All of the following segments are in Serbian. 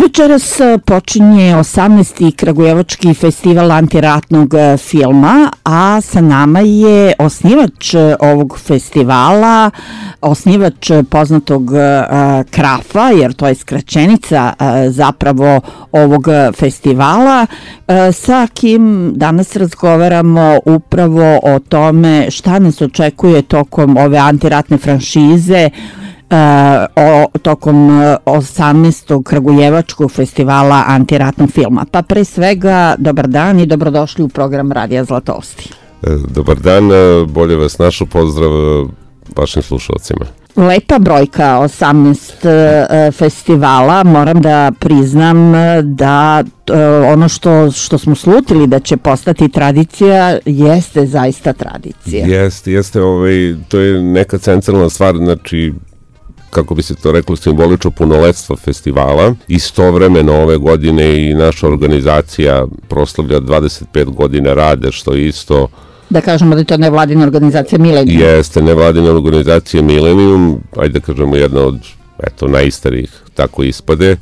Večeras počinje 18. Kragujevački festival antiratnog filma, a sa nama je osnivač ovog festivala, osnivač poznatog Krafa, jer to je skraćenica zapravo ovog festivala, sa kim danas razgovaramo upravo o tome šta nas očekuje tokom ove antiratne franšize, tokom 18. Kragujevačkog festivala antiratnog filma. Pa pre svega, dobar dan i dobrodošli u program Radija Zlatosti. Dobar dan, bolje vas našao, pozdrav vašim slušalcima. Lepa brojka, 18 festivala, moram da priznam da ono što smo slutili da će postati tradicija, jeste zaista tradicija. Jeste, to je neka centralna stvar, znači kako bi se to reklo, simbolično punoletstvo festivala. Istovremeno ove godine i naša organizacija proslavlja 25 godina rada, što je isto... Da kažemo da je to nevladina organizacija Milenijum. Jeste, nevladina organizacija Milenijum, ajde da kažemo jedna od najstarijih, tako ispade,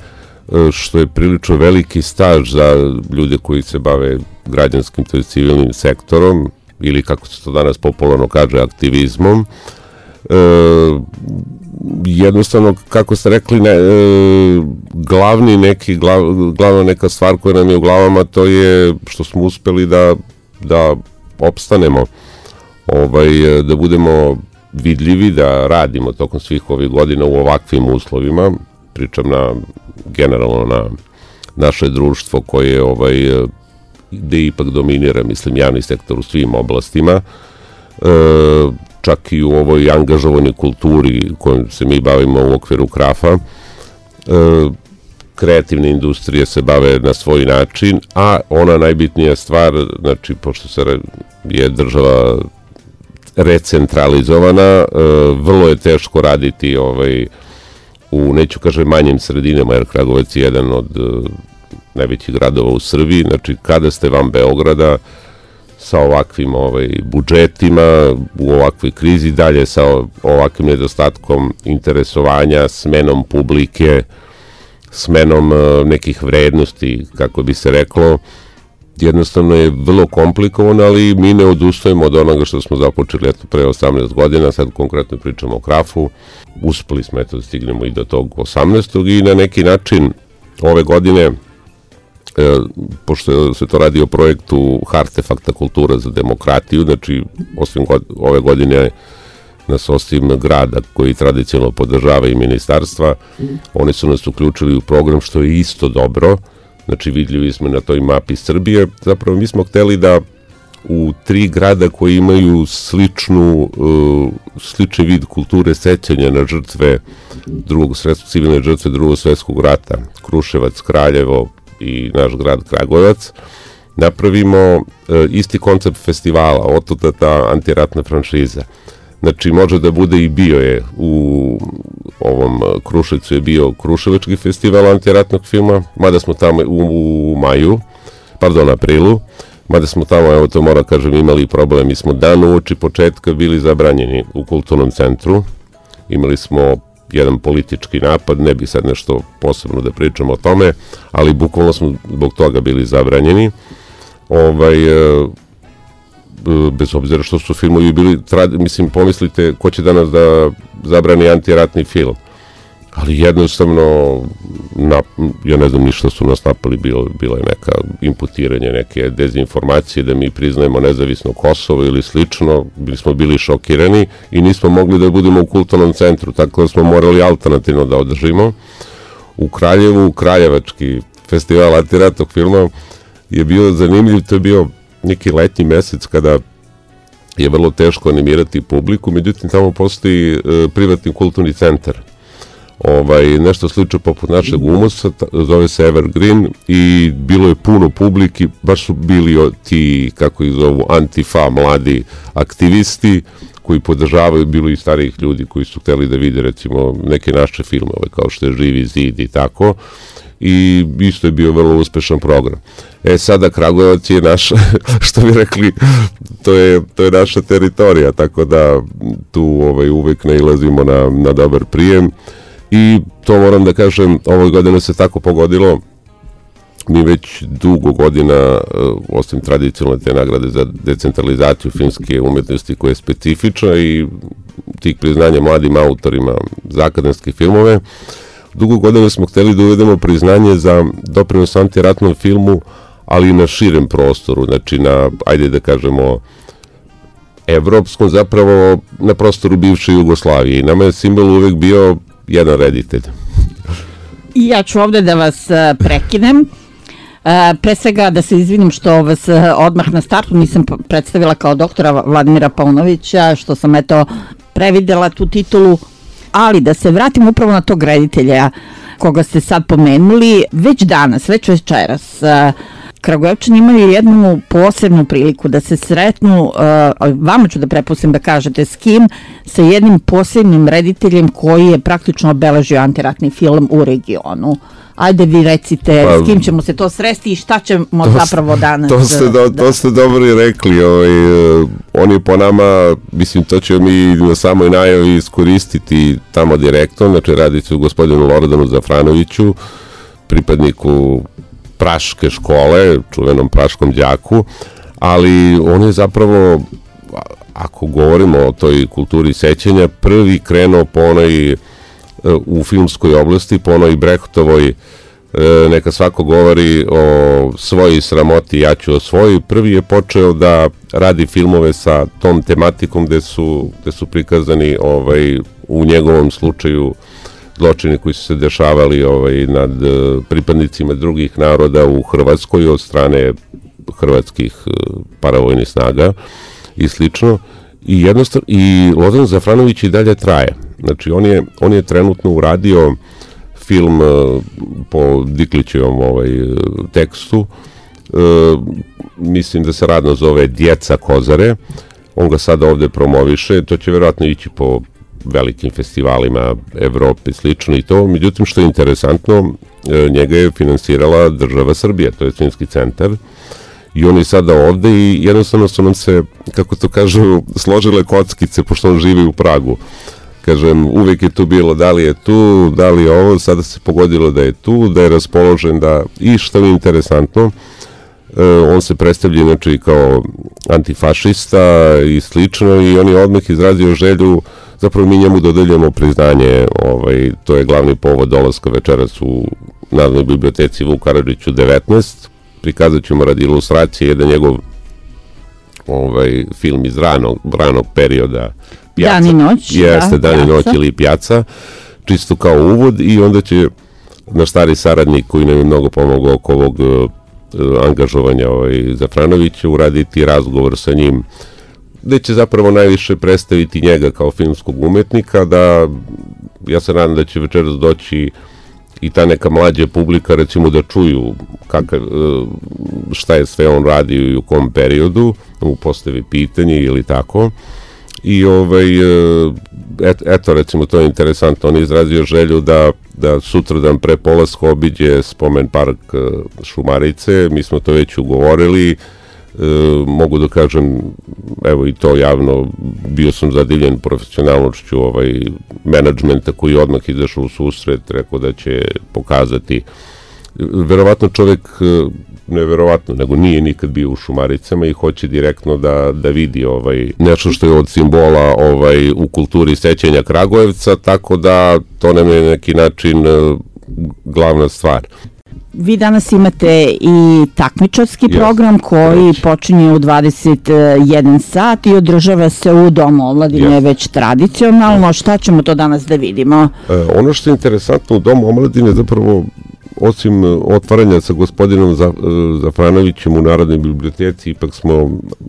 što je prilično veliki staž za ljude koji se bave građanskim, to je civilnim sektorom, ili kako se to danas popularno kaže, aktivizmom. Jednostavno, kako ste rekli, glavna neka stvar koja nam je u glavama, to je što smo uspeli da opstanemo, da budemo vidljivi, da radimo tokom svih ovih godina u ovakvim uslovima. Pričam generalno na naše društvo koje gde ipak dominira, mislim, javni sektor u svim oblastima, čak i u ovoj angažovanoj kulturi kojom se mi bavimo u okviru Krafa. Kreativne industrije se bave na svoj način, a ona najbitnija stvar, znači, pošto je država recentralizovana, vrlo je teško raditi u, neću kažem, manjim sredinama, jer Kragujevac je jedan od najvećih gradova u Srbiji. Znači, kada ste van Beograda, sa ovakvim budžetima, u ovakvoj krizi, dalje sa ovakvim nedostatkom interesovanja, smenom publike, smenom nekih vrednosti, kako bi se reklo, jednostavno je vrlo komplikovano, ali mi ne odustajemo od onoga što smo započeli pre 18 godina, sad konkretno pričamo o Krafu, uspeli smo da stignemo i do tog 18. i na neki način ove godine, pošto se to radi o projektu Artefakta kultura za demokratiju, znači ove godine nas osim grada koji tradicionalno podržava i ministarstva, oni su nas uključili u program, što je isto dobro, znači vidljivi smo na toj mapi Srbije. Zapravo mi smo hteli da u 3 grada koji imaju slični vid kulture sećanja na žrtve civilne žrtve Drugog svetskog rata, Kruševac, Kraljevo i naš grad Kragujevac, napravimo isti koncept festivala, otuda ta antiratna franšiza. Znači, može da bude i bio je u ovom Kruševcu je bio Kruševački festival antiratnog filma, mada smo tamo u aprilu, mada smo tamo, evo to moram kažem, imali problem. Mi smo dan uoči početka bili zabranjeni u kulturnom centru, imali smo jedan politički napad, ne bi sad nešto posebno da pričamo o tome, ali bukvalno smo zbog toga bili zabranjeni. Bez obzira što su filmovi bili, mislim, pomislite ko će danas da zabrani antiratni film, ali jednostavno, ja ne znam ni što su nas napali, bilo je neka imputiranje, neke dezinformacije da mi priznajemo nezavisno Kosovo ili slično, smo bili šokirani i nismo mogli da budemo u kulturnom centru, tako da smo morali alternativno da održimo. U Kraljevu, Kraljevački festival antiratnog filma je bio zanimljiv, to je bio neki letnji mesec kada je vrlo teško animirati publiku, međutim tamo postoji privatni kulturni centar. Nešto slično poput našeg Umusa, zove se Evergreen, i bilo je puno publiki, baš su bili ti, kako ih zovu, antifa, mladi aktivisti koji podržavaju, bilo i starijih ljudi koji su hteli da vide recimo neke naše filmove kao što je Živi zid i tako, i isto je bio vrlo uspešan program. Sada Kragujevac je naš, što bi rekli, to je naša teritorija, tako da tu uvek nailazimo na dobar prijem I to moram da kažem, ove godine se tako pogodilo. Mi već dugo godina, osim tradicionalne te nagrade za decentralizaciju filmske umetnosti koja je specifična i tih priznanja mladim autorima za akademske filmove, dugo godina smo hteli da uvedemo priznanje za doprinos antiratnom filmu, ali i na širem prostoru, znači na, ajde da kažemo, evropskom, zapravo na prostoru bivše Jugoslavije. I nama je simbol uvek bio jedan reditelj. I ja ću ovde da vas prekinem. Pre svega da se izvinim što vas odmah na startu nisam predstavila kao doktora Vladimira Paunovića, što sam previdela tu titulu, ali da se vratim upravo na tog reditelja koga ste sad pomenuli. Već danas, već večeras, Kragujevčani imaju jednu posebnu priliku da se sretnu, vama ću da prepustim da kažete s kim, sa jednim posebnim rediteljem koji je praktično obeležio antiratni film u regionu. Ajde vi recite s kim ćemo se to sresti i šta ćemo zapravo danas... To ste dobro i rekli. On je po nama, mislim, to ćemo mi na samoj najavi iskoristiti tamo direktno, znači radit ću gospodinu Lordanu Zafranoviću, pripadniku praške škole, čuvenom praškom đaku, ali on je zapravo, ako govorimo o toj kulturi sećanja, prvi krenuo po onoj u filmskoj oblasti, po onoj Brechtovoj, neka svako govori o svojoj sramoti, ja ću o svojoj. Prvi je počeo da radi filmove sa tom tematikom gde su prikazani u njegovom slučaju zločini koji su se dešavali nad pripadnicima drugih naroda u Hrvatskoj od strane hrvatskih paravojnih snaga i slično. I jednostavno, i Lozan Zafranović i dalje traje. Znači, on je trenutno uradio film po Diklićevom tekstu, mislim da se radno zove Djeca Kozare, on ga sada ovde promoviše, to će verovatno ići po velikim festivalima Evrope i slično i to, međutim što je interesantno, njega je finansirala država Srbija, to je Filmski centar, i on je sada ovde i jednostavno su nam se, kako to kažu, složile kockice, pošto on živi u Pragu. Kažem, uvek je tu bilo, da li je tu, da li je ovo, sada se pogodilo da je tu, da je raspoložen, i što je interesantno, on se predstavlja znači kao antifašista i slično i on je odmah izrazio želju, zapravo mi njemu dodeljujemo priznanje, to je glavni povod dolaska večeras u Narodnoj biblioteci Vuk Karadžić u 19, prikazat ćemo radi ilustracije jedan njegov film iz ranog perioda, Dan i noć. Jeste, Dan i noć ili Pjaca, čisto kao uvod i onda će naš stari saradnik koji nam je mnogo pomogao oko ovog angažovanja Zafranovića uraditi razgovor sa njim, gde će zapravo najviše predstaviti njega kao filmskog umetnika, da ja se nadam da će večeras doći i ta neka mlađa publika recimo da čuju šta je sve on radio i u kom periodu, mu postavi pitanje ili tako. I eto recimo to je interesantno, on je izrazio želju da sutradan pre polaska obiđe spomen park Šumarice, mi smo to već ugovorili, mogu da kažem, evo i to javno, bio sam zadivljen profesionalnošću menadžmenta koji je odmah izašao u susret, rekao da će pokazati, verovatno čovek, ne verovatno, nego nije nikad bio u Šumaricama i hoće direktno da vidi nešto što je od simbola u kulturi sećanja Kragujevca, tako da to nam je neki način glavna stvar. Vi danas imate i takmičarski program koji počinje u 21 sat i održava se u Domu omladine već tradicionalno. Šta ćemo to danas da vidimo? Ono što je interesantno u Domu omladine zapravo, osim otvaranja sa gospodinom Zafranovićem u Narodnoj biblioteci, ipak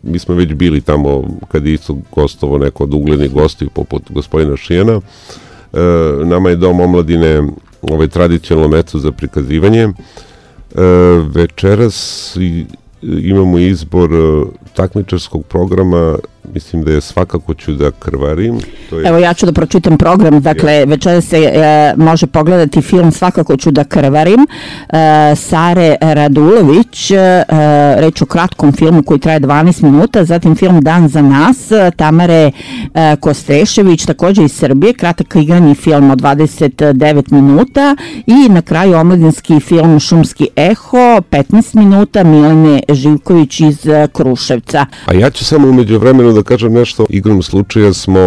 mi smo već bili tamo kad je isto gostovo neko od uglednih gostiju poput gospodina Šijana. Nama je Dom omladine tradicionalno mesto za prikazivanje. Večeras imamo izbor takmičarskog programa mislim da je Svakako ću da krvarim. To je... Evo ja ću da pročitam program, dakle večeras se može pogledati film Svakako ću da krvarim Sare Radulović, reč o kratkom filmu koji traje 12 minuta, zatim film Dan za nas Tamare Kostrešević, također iz Srbije, kratak igrani film od 29 minuta i na kraju omladinski film Šumski eho, 15 minuta, Milene Živković iz Kruševca. A ja ću samo umeđu vremenu da kažem nešto. Igrom slučaja smo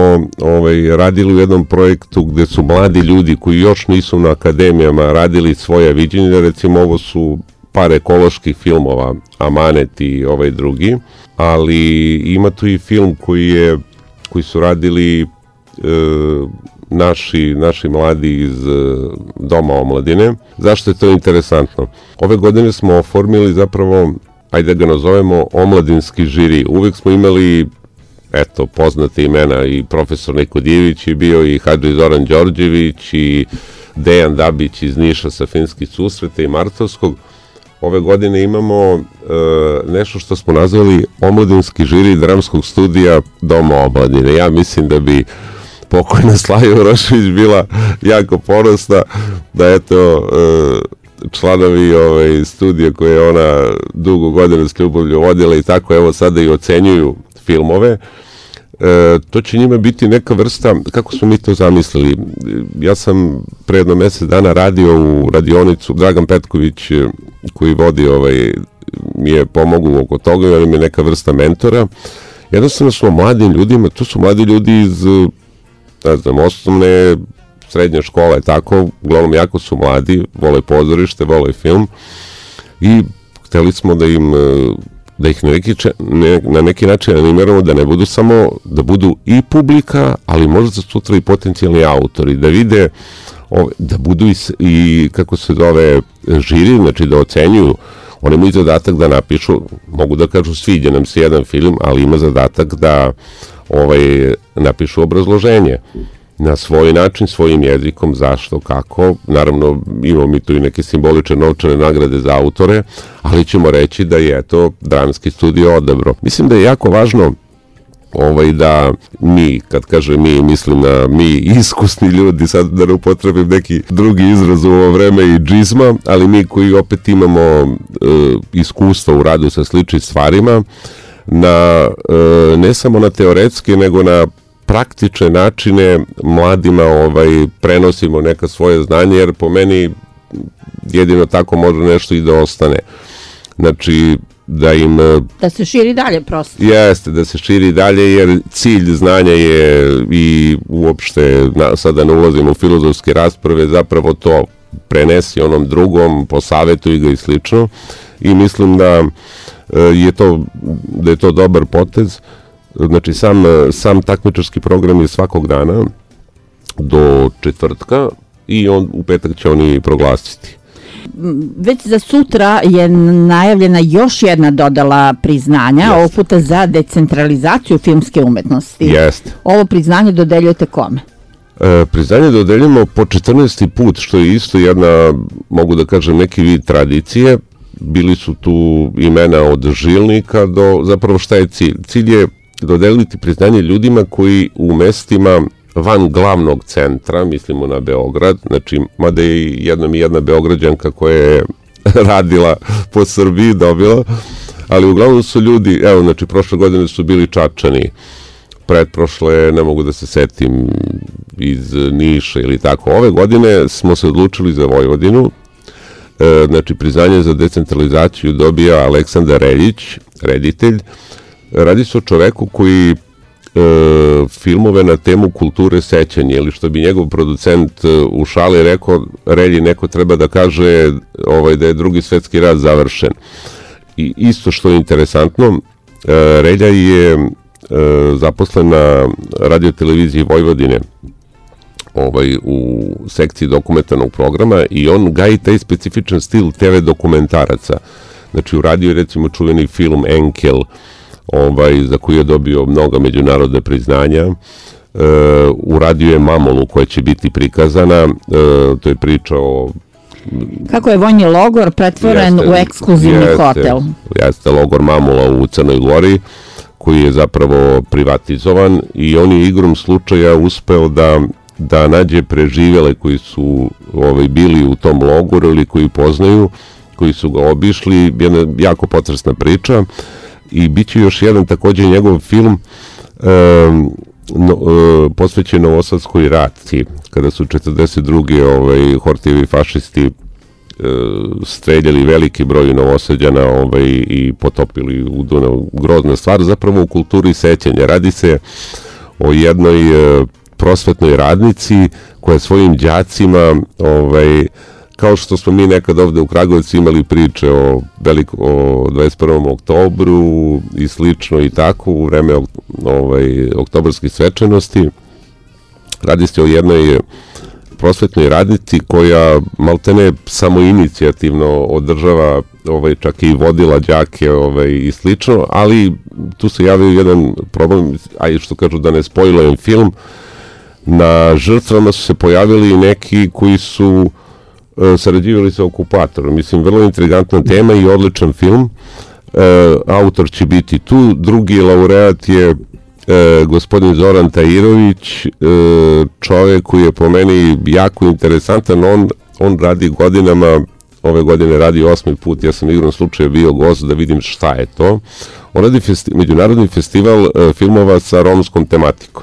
radili u jednom projektu gde su mladi ljudi koji još nisu na akademijama radili svoje viđenje, recimo ovo su par ekoloških filmova, Amanet i ovaj drugi, ali ima tu i film koji su radili naši mladi iz Doma omladine. Zašto je to interesantno? Ove godine smo oformili zapravo, ajde da ga nazovemo, omladinski žiri. Uvijek smo imali, eto, poznate imena, i profesor Niko Dijević je bio, i Hadži Zoran Đorđević, i Dejan Dabić iz Niša sa Finskih susreta i Martovskog. Ove godine imamo nešto što smo nazvali omladinski žiri dramskog studija Doma omladine. Ja mislim da bi pokojna Slaja Urošević bila jako ponosna da eto članovi studija koje je ona dugo godina s ljubavlju vodila i tako evo sada i ocenjuju filmove. To će njima biti neka vrsta, kako smo mi to zamislili. Ja sam pre jedno mesec dana radio u radionicu, Dragan Petković koji vodi mi je pomogao oko toga, jer mi je neka vrsta mentora. Jednostavno smo mladim ljudima, to su mladi ljudi iz, ne znam, osnovne, srednje škole, tako, uglavnom jako su mladi, vole pozorište, vole film i hteli smo da ih na neki način animiramo da ne budu samo, da budu i publika, ali možda sutra i potencijalni autori, da vide, da budu i kako se zove, žiri, znači da ocenjuju. Oni imaju zadatak da napišu, mogu da kažu sviđa nam se jedan film, ali ima zadatak da napišu obrazloženje na svoj način, svojim jezikom, zašto, kako. Naravno, imamo mi tu i neke simbolične novčane nagrade za autore, ali ćemo reći da je to dramski studio odabro. Mislim da je jako važno da mi, kad kažem mi, mislim na mi iskusni ljudi, sad da ne upotrebim neki drugi izraz u ovo vreme i džizma, ali mi koji opet imamo iskustva u radu sa sličnim stvarima, ne samo na teoretske, nego na praktične načine mladima prenosimo neka svoje znanje, jer po meni jedino tako može nešto i da ostane. Znači, da se širi dalje prosto. Jeste, da se širi dalje, jer cilj znanja je i uopšte, sada ne ulazimo u filozofske rasprave, zapravo to prenesi onom drugom, posavetuj ga i slično. I mislim da je to dobar potez. Znači, sam takmičarski program je svakog dana do četvrtka i u petak će oni proglasiti. Već za sutra je najavljena još jedna dodala priznanja, ovog puta za decentralizaciju filmske umetnosti. Jeste. Ovo priznanje dodeljujete kome? Priznanje dodeljujemo po 14. put, što je isto jedna, mogu da kažem, neki vid tradicije. Bili su tu imena od žilnika do, zapravo šta je cilj? Cilj je dodeliti priznanje ljudima koji u mestima van glavnog centra, mislimo na Beograd, znači, mada je i jedna Beograđanka koja je radila po Srbiji, dobila, ali uglavnom su ljudi, evo, znači, prošle godine su bili Čačani, pretprošle, ne mogu da se setim, iz Niša ili tako. Ove godine smo se odlučili za Vojvodinu, znači, priznanje za decentralizaciju dobija Aleksandar Reljić, reditelj. Radi se o čoveku koji filmove na temu kulture sećanja, ili što bi njegov producent u šali rekao, Relji, neko treba da kaže da je Drugi svetski rat završen. I isto što je interesantno, Relja je zaposlen na radioteleviziji Vojvodine u sekciji dokumentarnog programa i on gaji taj specifičan stil TV dokumentaraca. Znači, u radiju je recimo čuveni film Enkel, za koji je dobio mnoga međunarodne priznanja. Uradio je Mamonu koja će biti prikazana, to je priča o... Kako je vojni logor pretvoren u ekskluzivni hotel. Jeste, logor Mamula u Crnoj Gori, koji je zapravo privatizovan i on je igrom slučaja uspeo da nađe preživele koji su bili u tom logoru ili koji poznaju, koji su ga obišli, jedna jako potresna priča i bit će još jedan takođe njegov film posvećen Novosadskoj raciji, kada su 42. Hortijevi fašisti streljali veliki broj Novosađana i potopili u Dunav. Grozna stvar, zapravo u kulturi sećanja. Radi se o jednoj prosvetnoj radnici koja svojim đacima, kao što smo mi nekad ovde u Kragujevcu imali priče o 21. oktobru i slično i tako u vreme oktobarskih svečanosti, radi se o jednoj prosvetnoj radnici koja maltene samoinicijativno održava, čak i vodila đake i slično, ali tu se javio jedan problem, a što kažu da ne spojlujem film, na žrtvama su se pojavili neki koji su sarađivali sa okupatorom. Mislim, vrlo intrigantna tema i odličan film. Autor će biti tu. Drugi laureat je gospodin Zoran Tajirović, čovjek koji je po meni jako interesantan. On radi godinama, ove godine radi 8. put, ja sam igrom slučaja bio gost da vidim šta je to. On radi međunarodni festival filmova sa romskom tematikom.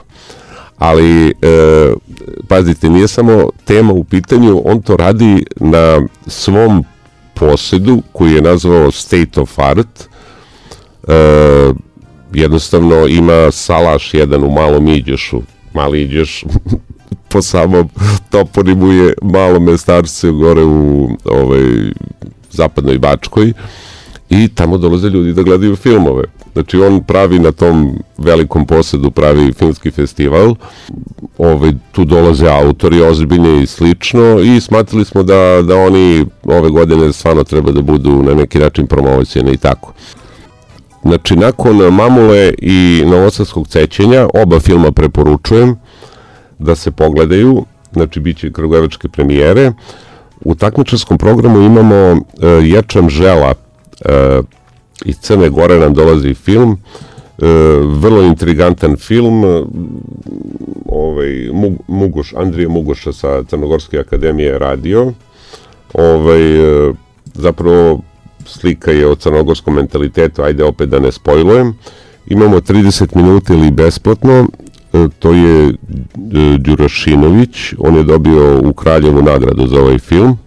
Ali, pazite, nije samo tema u pitanju, on to radi na svom posedu koji je nazvao State of Art. Jednostavno ima salaš jedan u Malom Iđošu. Mali Iđoš po samom toponimu je malo mestarce gore u zapadnoj Bačkoj i tamo dolaze ljudi da gledaju filmove. Znači on pravi na tom velikom posedu, pravi filmski festival, tu dolaze autori ozbiljni i slično i smatrali smo da oni ove godine stvarno treba da budu na neki način promovisani i tako. Znači nakon Mamule i Novosadskog sećanja, oba filma preporučujem da se pogledaju, znači bit će kragujevačke premijere. U takmičarskom programu imamo Ječam žela, iz Crne Gore nam dolazi film, vrlo intrigantan film, Andrija Mugoša sa Crnogorske akademije radio, zapravo slika je o crnogorskom mentalitetu, ajde opet da ne spojlujem. Imamo 30 minuta ili besplatno, to je Đurašinović, on je dobio u Kraljevu nagradu za ovaj film.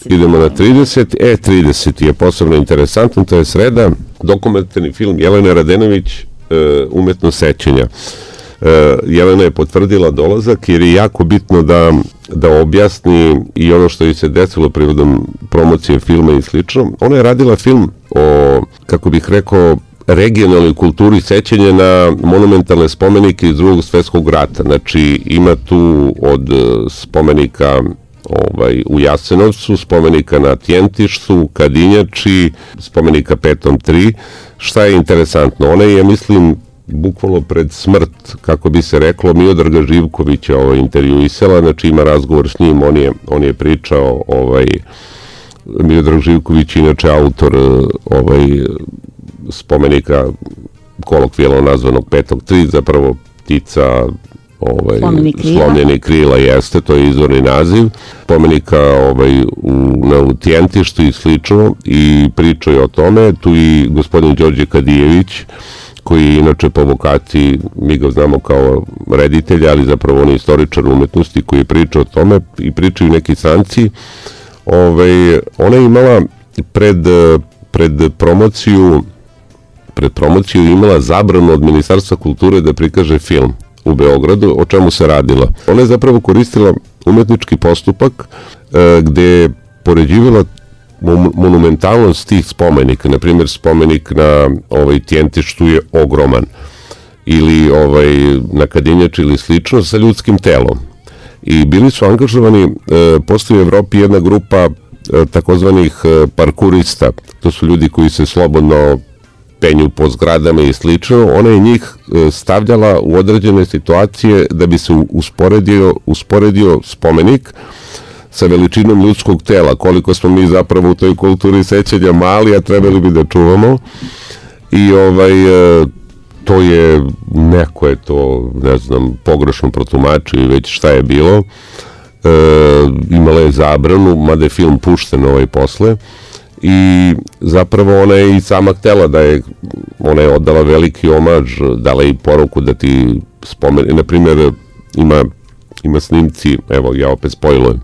Idemo na 30. 30 je posebno interesantan, to je sreda, dokumentarni film Jelene Radenović, Umetno sećanja. Jelena je potvrdila dolazak jer je jako bitno da objasni i ono što je se desilo prigodom promocije filma i slično. Ona je radila film o, kako bih rekao, regionalnoj kulturi sećanja na monumentalne spomenike iz Drugog svjetskog rata. Znači ima tu od spomenika u Jasenovcu, spomenika na Tjentištu, Kadinjači, spomenika Petom 3. Šta je interesantno? Ona je, mislim, bukvalno pred smrt, kako bi se reklo, Miodraga Živkovića intervjuisala, znači ima razgovor s njim, on je pričao, Miodrag Živković, inače autor spomenika kolokvijalno nazvanog Petog 3, zapravo ptica slomljeni krila jeste, to je izvorni naziv, spomenika u Tjentištu i slično, i pričao je o tome. Tu i gospodin Đorđe Kadijević, koji je inače po vokaciji, mi ga znamo kao reditelja, ali zapravo on je istoričar umetnosti koji je pričao o tome i pričaju neki stranci. Ona je imala pred promociju imala zabranu od Ministarstva kulture da prikaže film u Beogradu, o čemu se radilo. Ona je zapravo koristila umetnički postupak gde je poređivala monumentalnost tih spomenika. Naprimjer, spomenik na Tjentištu je ogroman, ili na Kadinjači ili slično, sa ljudskim telom. I bili su angažovani, postoji u Evropi jedna grupa takozvanih parkurista, to su ljudi koji se slobodno penju po zgradama i slično. Ona je njih stavljala u određene situacije da bi se usporedio spomenik sa veličinom ljudskog tela, koliko smo mi zapravo u toj kulturi sećanja mali, a trebali bi da čuvamo. I to je, neko je to, ne znam, pogrešno protumačio i već šta je bilo. Imala je zabranu, mada je film pušten posle, i zapravo ona je i sama htela ona je oddala veliki omaž, dala i poruku da ti spomeni, na primjer, ima snimci, evo ja opet spojlujem,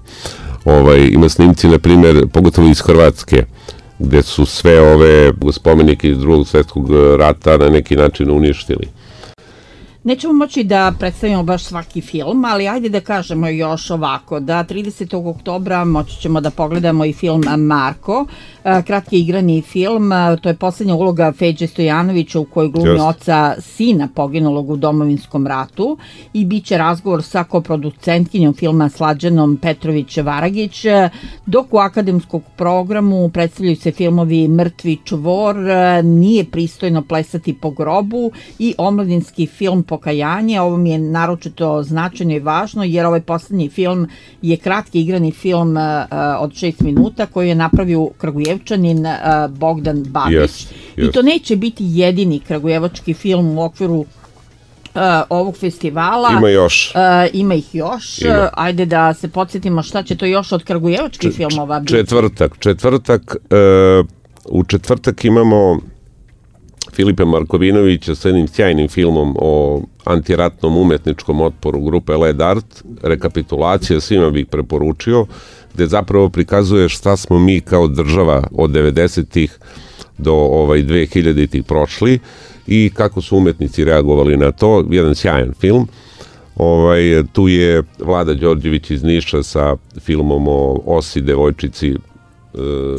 ima snimci, na primjer, pogotovo iz Hrvatske, gde su sve ove spomenike iz Drugog svjetskog rata na neki način uništili. Nećemo moći da predstavimo baš svaki film, ali ajde da kažemo još ovako, da 30. oktobra moći ćemo da pogledamo i film Marko, kratki igrani film, to je posljednja uloga Feđe Stojanovića u kojoj glumi oca sina poginulog u Domovinskom ratu, i bit će razgovor sa koproducentkinjom filma Slađanom Petrović-Varagić, dok u akademskom programu predstavljaju se filmovi Mrtvi čvor, Nije pristojno plesati po grobu i omladinski film Pokajanje. Ovo mi je naročito značajno i važno, jer ovaj posljednji film je kratki igrani film od 6 minuta koji je napravio Kragujevčanin Bogdan Babić. I to neće biti jedini kragujevački film u okviru ovog festivala. Ima još. Ima ih još. Ajde da se podsjetimo šta će to još od kragujevačkih filmova biti. U četvrtak imamo Filipa Markovinovića sa jednim sjajnim filmom o antiratnom umetničkom otporu grupe Led Art, rekapitulacija, svima bih preporučio, gde zapravo prikazuje šta smo mi kao država od 90-ih do 2000-ih prošli i kako su umetnici reagovali na to. Jedan sjajan film. Tu je Vlada Đorđević iz Niša sa filmom o Osi, devojčici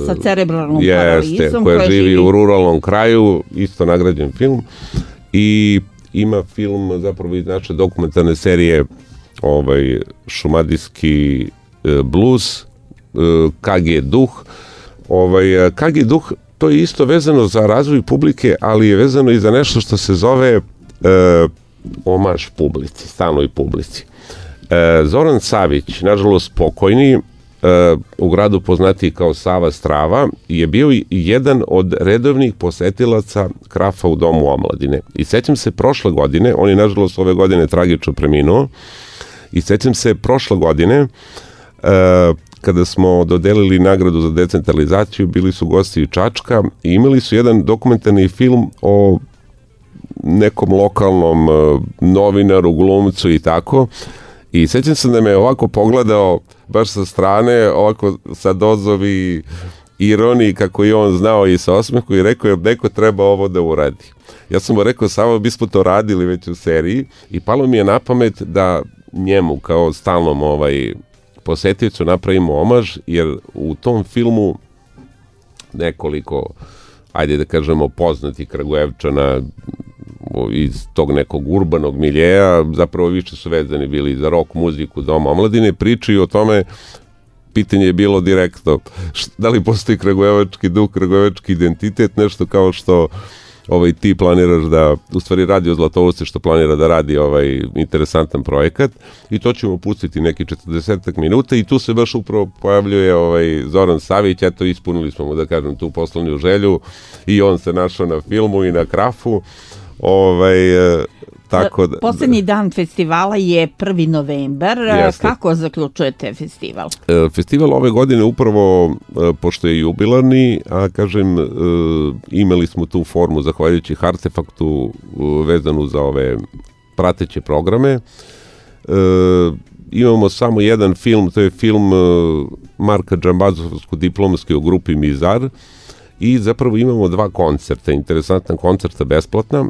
sa cerebralnom paralizom, koja živi u ruralnom kraju, isto nagrađen film, i ima film zapravo iz naše dokumentarne serije Šumadijski blues, KG Duh. KG Duh, to je isto vezano za razvoj publike, ali je vezano i za nešto što se zove omaž publici, stalnoj publici. Zoran Savić, nažalost pokojni, u gradu poznatiji kao Sava Strava, je bio jedan od redovnih posetilaca Krafa u Domu omladine. I sećam se prošle godine, on je nažalost ove godine tragično preminuo, i sećam se prošle godine, kada smo dodelili nagradu za decentralizaciju, bili su gosti iz Čačka i imali su jedan dokumentarni film o nekom lokalnom novinaru, glumcu i tako. I sećam se da me ovako pogledao baš sa strane, ovako sa dozovi ironiji, kako i on znao, i sa osmehu, i rekao je, neko treba ovo da uradi. Ja sam mu rekao, samo bismo to radili već u seriji, i palo mi je na pamet da njemu kao stalnom posetiocu napravimo omaž, jer u tom filmu nekoliko, ajde da kažemo, poznati Kragujevčana iz tog nekog urbanog miljeja, zapravo više su vezani bili za rock muziku Doma omladine, pričaju o tome. Pitanje je bilo direktno, da li postoji kragujevački duh, kragujevački identitet, nešto kao što ti planiraš da, u stvari Radio Zlatovosti što planira da radi interesantan projekat, i to ćemo pustiti neki 40 minuta, i tu se baš upravo pojavljuje Zoran Savić. Eto, ispunili smo mu, da kažem, tu poslovnu želju, i on se našao na filmu i na Krafu. Poslednji dan festivala je 1. novembar. Kako zaključujete festival? Festival ove godine upravo, pošto je jubilarni, a kažem, imali smo tu formu zahvaljujući Artefaktu vezanu za ove prateće programe. Imamo samo jedan film, to je film Marka Džambazovsko-diplomski o grupi Mizar, i zapravo imamo 2 koncerta, interesantna koncerta besplatna,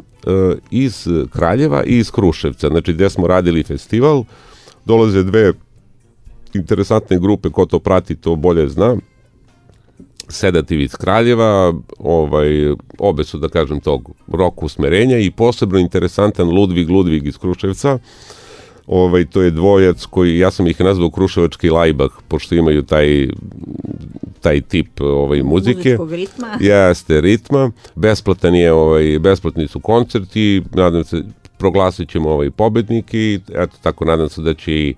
iz Kraljeva i iz Kruševca, znači gde smo radili festival. Dolaze 2 interesantne grupe, ko to prati to bolje zna. Sedativ iz Kraljeva, obe su, da kažem, tog rock usmerenja, i posebno interesantan Ludvig iz Kruševca. To je dvojac koji, ja sam ih nazvao Kruševački Lajbah, pošto imaju taj tip muzike. Muzičkog ritma. Jeste, ritma. Besplatni su koncerti, nadam se, proglasit ćemo pobednike, i eto, tako nadam se da će,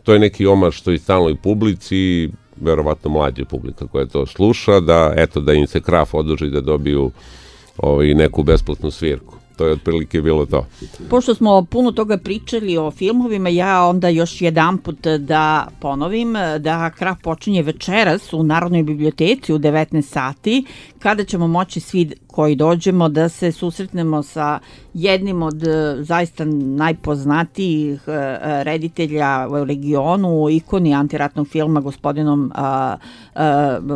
to je neki omaž što i stalnoj publici, verovatno mlađa publika koja to sluša, da im se Kraf odloži da dobiju neku besplatnu svirku. to je otprilike bilo to. Pošto smo puno toga pričali o filmovima, ja onda još jedanput da ponovim da Kraf počinje večeras u Narodnoj biblioteci u 19 sati, kada ćemo moći svi koji dođemo da se susretnemo sa jednim od zaista najpoznatijih reditelja u regionu, ikoni antiratnog filma, gospodinom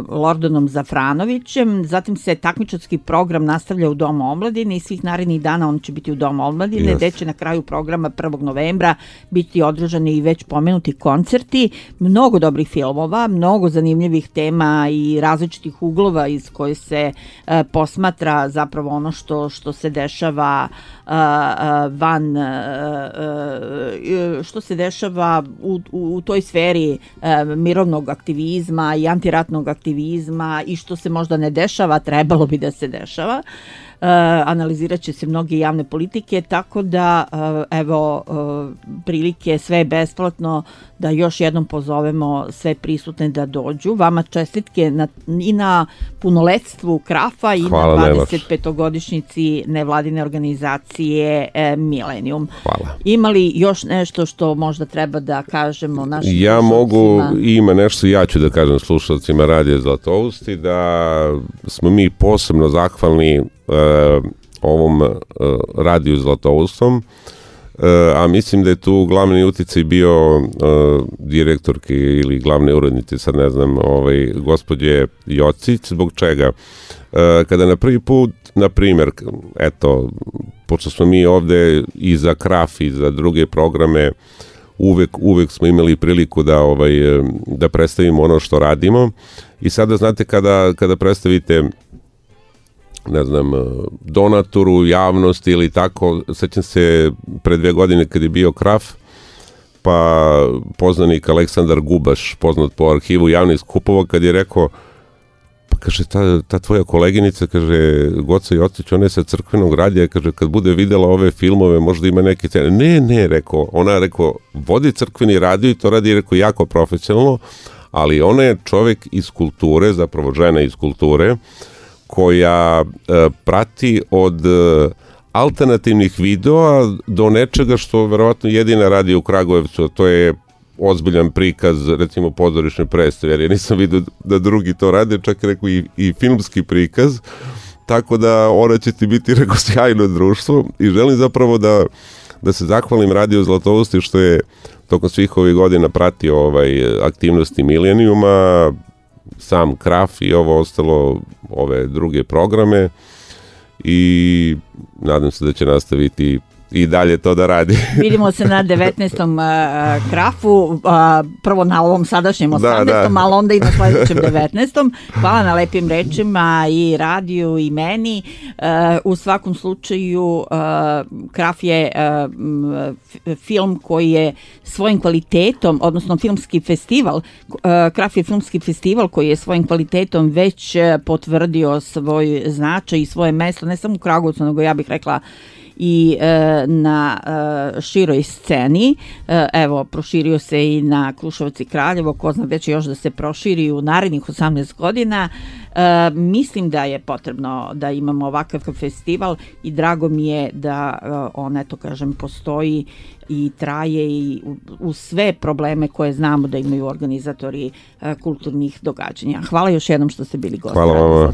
Lordanom Zafranovićem. Zatim se takmičarski program nastavlja u Domu omladine i svih narednih dana on će biti u Domu omladine, gde će na kraju programa 1. novembra biti održani i već pomenuti koncerti. Mnogo dobrih filmova, mnogo zanimljivih tema i različitih uglova iz koje se posmatra zapravo ono što se dešava što se dešava u toj sferi mirovnog aktivizma i antiratnog aktivizma i što se možda ne dešava, trebalo bi da se dešava. Analizirat će se mnoge javne politike, tako da evo prilike, sve je besplatno, da još jednom pozovemo sve prisutne da dođu. Vama čestitke i na punoletstvu Krafa i na 25-godišnjici nevladine organizacije Milenijum. Hvala. Ima li još nešto što možda treba da kažemo našim slušalcima? Ja mogu, ima nešto, ja ću da kažem slušalcima Radija Zlatousti, da smo mi posebno zahvalni ovom Radiju Zlatoustom, a mislim da je tu glavni uticaj bio direktorke ili glavne urednice, sad ne znam, gospođe Jocić. Zbog čega? Kada na prvi put, na primjer, eto, pošto smo mi ovde i za Kraf i za druge programe, uvek smo imali priliku da predstavimo ono što radimo, i sada znate kada predstavite, ne znam, donatoru, javnosti ili tako, sećam se pre 2 godine kad je bio Kraf, pa poznanik Aleksandar Gubaš, poznat po arhivu javnih skupova, kad je rekao, pa kaže, ta tvoja koleginica, kaže, Goca Jocić, ona je sa crkvenog radija, kaže, kad bude videla ove filmove, možda ima neke cene. Ne, rekao, ona rekao, vodi crkveni radio i to radi, rekao, jako profesionalno, ali ona je čovek iz kulture, zapravo žena iz kulture, koja prati od alternativnih videoa do nečega što verovatno jedina radi u Kragujevcu, a to je ozbiljan prikaz, recimo pozorišne predstave, jer ja nisam vidio da drugi to rade, čak je rekao i filmski prikaz, tako da ona će ti biti, rekao, sjajno društvo, i želim zapravo da se zahvalim Radiju Zlatousti što je tokom svih ovih godina pratio aktivnosti Milenijuma, sam Kraf i ovo ostalo, ove druge programe, i nadam se da će nastaviti i dalje to da radi. Vidimo se na 19. Krafu, prvo na ovom sadašnjem 18. ali onda i na sledećem 19. Hvala na lepim rečima i radiju i meni. U svakom slučaju Kraf je film koji je svojim kvalitetom, odnosno filmski festival, Kraf je filmski festival koji je svojim kvalitetom već potvrdio svoj značaj i svoje mesto, ne samo u Kragujevcu, nego ja bih rekla i na široj sceni. Evo, proširio se i na Kruševac i Kraljevo, ko zna gde će još da se proširi u narednih 18 godina. Mislim da je potrebno da imamo ovakav festival i drago mi je da on, eto kažem, postoji i traje i uz sve probleme koje znamo da imaju organizatori kulturnih događanja. Hvala još jednom što ste bili gosti. Hvala vama.